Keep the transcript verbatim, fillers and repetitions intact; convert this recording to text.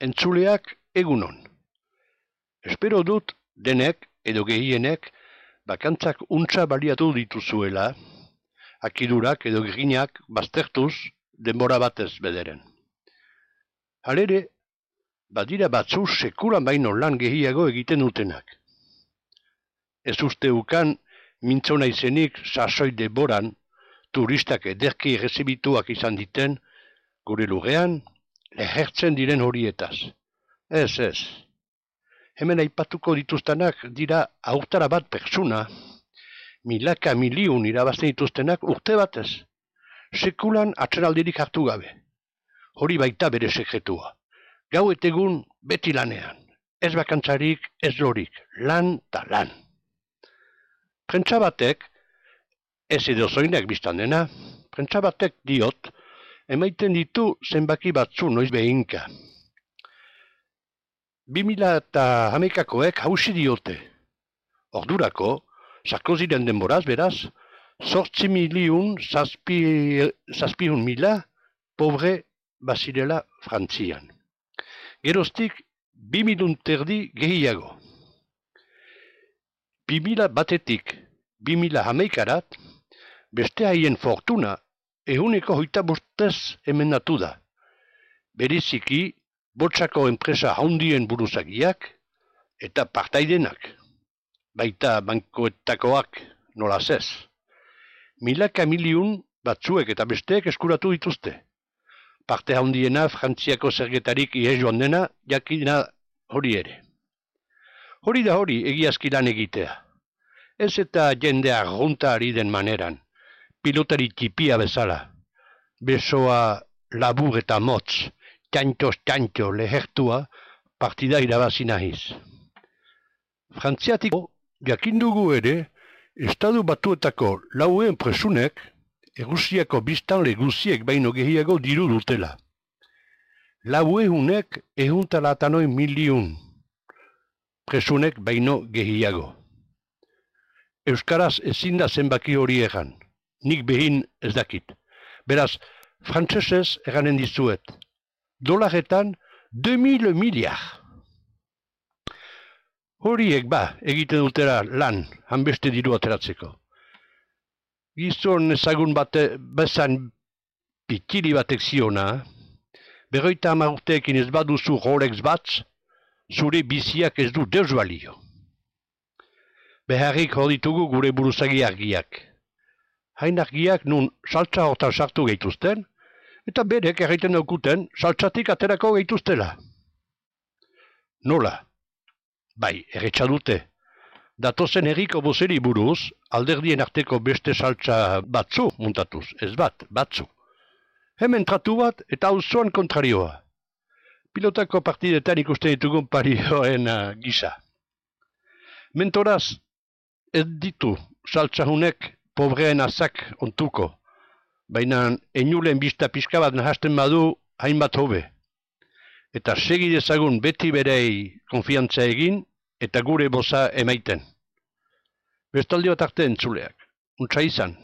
Entzuleak egunon. Espero dut denek edo gehienek bakantzak untza baliatu dituzuela, akidurak edo grinak baztertuz denbora batez bederen. Halere, badira batzu sekulan baino lan gehiago egiten dutenak. Ez uste ukan mintzona izenik sasoi deboran turistak ederki errezibituak izan diten gure lurrean lehertzen diren horietaz. Ez, ez. Hemen aipatuko dituztenak dira aurtara bat pertsuna, milaka miliun irabazten dituztenak urte batez. Sekulan atzeraldirik hartu gabe. Hori baita bere sekretua. Gau etegun beti lanean. Ez bakantzarik, ez lorik. Lan ta lan. Prentsa batek, ez edo zoinak biztan dena, prentsa batek diot, emaiten ditu zenbaki batzu noiz behinka. Bi mila eta hamaikakoek hausi diote. Ordurako, Sarkoziren denboraz beraz, zortzi miliun zazpihun mila pobre bazirela Frantzian. Geroztik, bi milun terdi gehiago. Bi mila batetik, bi mila hamaikarat, beste haien fortuna ehuneko hoita bostez emendatu da. Beriziki, botsako enpresa handien buruzagiak eta partaidenak, baita bankoetakoak nolaz ez. Milaka miliun batzuek eta besteek eskuratu dituzte. Parte handiena Frantziako zergetarik ihes joan dena jakina hori ere. Hori da hori egiazki lan egitea. Ez eta jendea arrunta ari den maneran, pilotari tipia bezala, besoa labur eta motz, txantxos-txantxo lehertua partida irabazi nahiz. Frantziatiko jakindugu ere, Estatu Batuetako lauen presunek, Errusiako biztanle guziek baino gehiago diru dutela. Lauehunek ehuntalatanoin miliun, presunek baino gehiago. Euskaraz ezin da zenbaki hori egan, nik behin ez dakit. Beraz, frantsesez eganen dizuet. Dolaretan, deux mille miliar. Horiek ba, egiten dutera lan, hanbeste diru ateratzeko. Gizon ezagun bate, bezan pitiri batek ziona, berroita hamar urteekin ez baduzu Rolex bat, zure biziak ez du deus balio. Beharrik hor ditugu gure buruzagi argiak. Hain argiak nun saltza hortan sartu gehituzten, eta berek erraiten daukuten saltzatik aterako gehituztela. Nola? Bai, erretxa dute. Datozen herriko bozeri buruz, alderdien arteko beste saltza batzu muntatuz, ez bat, batzu. Hemen tratu bat eta auzoan kontrarioa. Pilotako partidetan ikusten ditugun parioen uh, gisa. Mentoraz, ez ditu saltzahunek pobreen azak ontuko, baina enulen bista pixka bat nahasten badu hainbat hobe. Eta segi dezagun beti berei konfiantza egin eta gure boza emaiten. Bestaldi bat arte entzuleak. Untsa izan.